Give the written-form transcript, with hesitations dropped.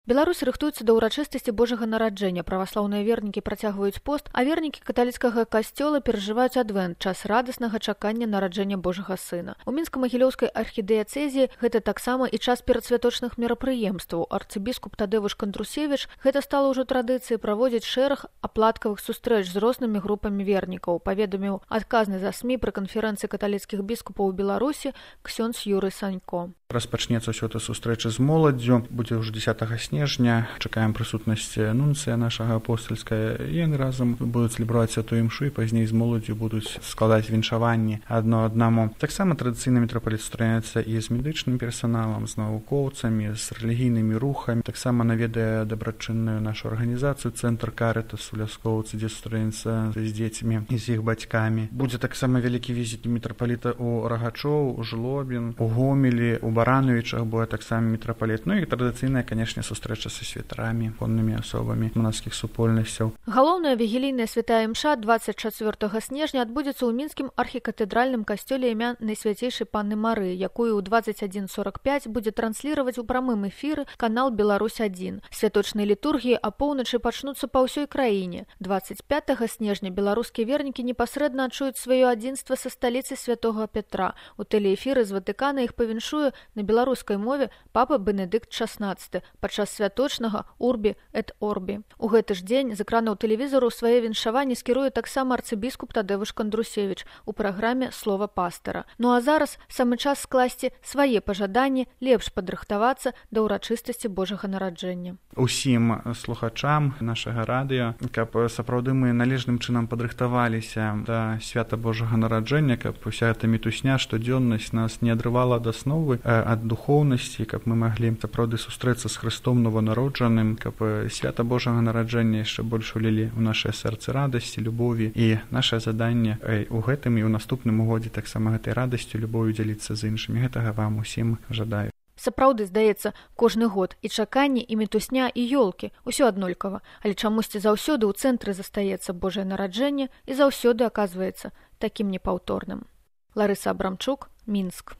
Беларусь рыхтуецца да ўрачыстасці Божага нараджэння. Праваслаўныя вернікі працягваюць пост, а вернікі каталіцкага касцёла перажываюць адвент, час радаснага чакання нараджэння Божага сына. У Мінска-Магілёўскай архідыяцэзіі гэта таксама і час перадсвяточных мерапрыемстваў. Арцыбіскуп Тадзеуш Кандрусевіч гэта стала ўжо традыцыяй праводзіць шэраг аплаткавых сустрэч з рознымі групамі вернікаў, паведаміў адказны за СМІ пры канферэнцыі каталіцкіх біскупаў у Беларусі ксёндз Юрый Санько. Распачнецца ўсё гэта сустрэча з моладдзю, будзе ўжо 10 снежня, чакаем прысутнасці нунцыя нашага апостальская, і яны разам будуць цэлебраваць святую імшу і пазней з моладдзю будуць складаць віншаванні адно аднаму. Таксама традыцыйна мітрапаліт сустраняецца і з медычным персаналам, з навукоўцамі, з рэлігійнымі рухамі. Таксама наведае дабрачынную нашу арганізацыю Цэнтр Карытас у Ляскоўцы, дзе сустраецца з дзецьмі і з іх бацькамі. Будзе таксама вялікі візіт мітрапаліта ў Рагачоў, у Жлобін, у Гомелі, у Барановічах будзе таксама мітрапаліт. Ну і традыцыйная, канешне, сустрэча са святарамі, коннымі асобамі манаскіх супольнасцяў. Галоўная вігілійная святая імша 24 снежня адбудзецца ў мінскім архікатэдральным касцёле імя Найсвяцейшай Панны Марыі, якую ў 21:45 будзе трансліраваць у прамым эфіры канал Беларусь-1. Святочныя літургіі апоўначы пачнуцца па ўсёй краіне. 25 снежня беларускія вернікі непасрэдна адчуюць сваё адзінства са сталіцай святога Петра. У тэлеэфіры з Ватыкана іх павіншуе на беларускай мове папа Бенедыкт XVI падчас святочнага «Урбі эт Орбі». У гэты ж дзень з экранаў тэлевізару свае віншаванні скіруе таксама арцыбіскуп Тадзеуш Кандрусевіч у праграме «Слова пастара». Ну а зараз самы час скласці свае пажаданні, лепш падрыхтавацца да ўрачыстасці Божага нараджэння. Усім слухачам нашага радыё, каб сапраўды мы належным чынам падрыхтаваліся да свята Божага нараджэння, каб уся эта мітусня, штодзённасць нас не адрывала ад асновы, ад духоўнасці, каб мы маглі сапраўды сустрэцца з Хрыстом нованароджаным, каб свята Божага нараджэння яшчэ больш улілі ў нашае сэрцы радасці, любові. І нашае заданне у гэтым і ў наступным годзе таксама гэтай радасцю, любов'ю дзяліцца з іншымі. Гэтага вам усім жадаю. Сапраўды, здаецца, кожны год і чаканні, і мітусня, і ёлкі ўсё аднолькава, але чамусьці заўсёды ў цэнтры застаецца Божае нараджэнне і заўсёды аказваецца такім непаўторным. Ларыса Абрамчук, Мінск.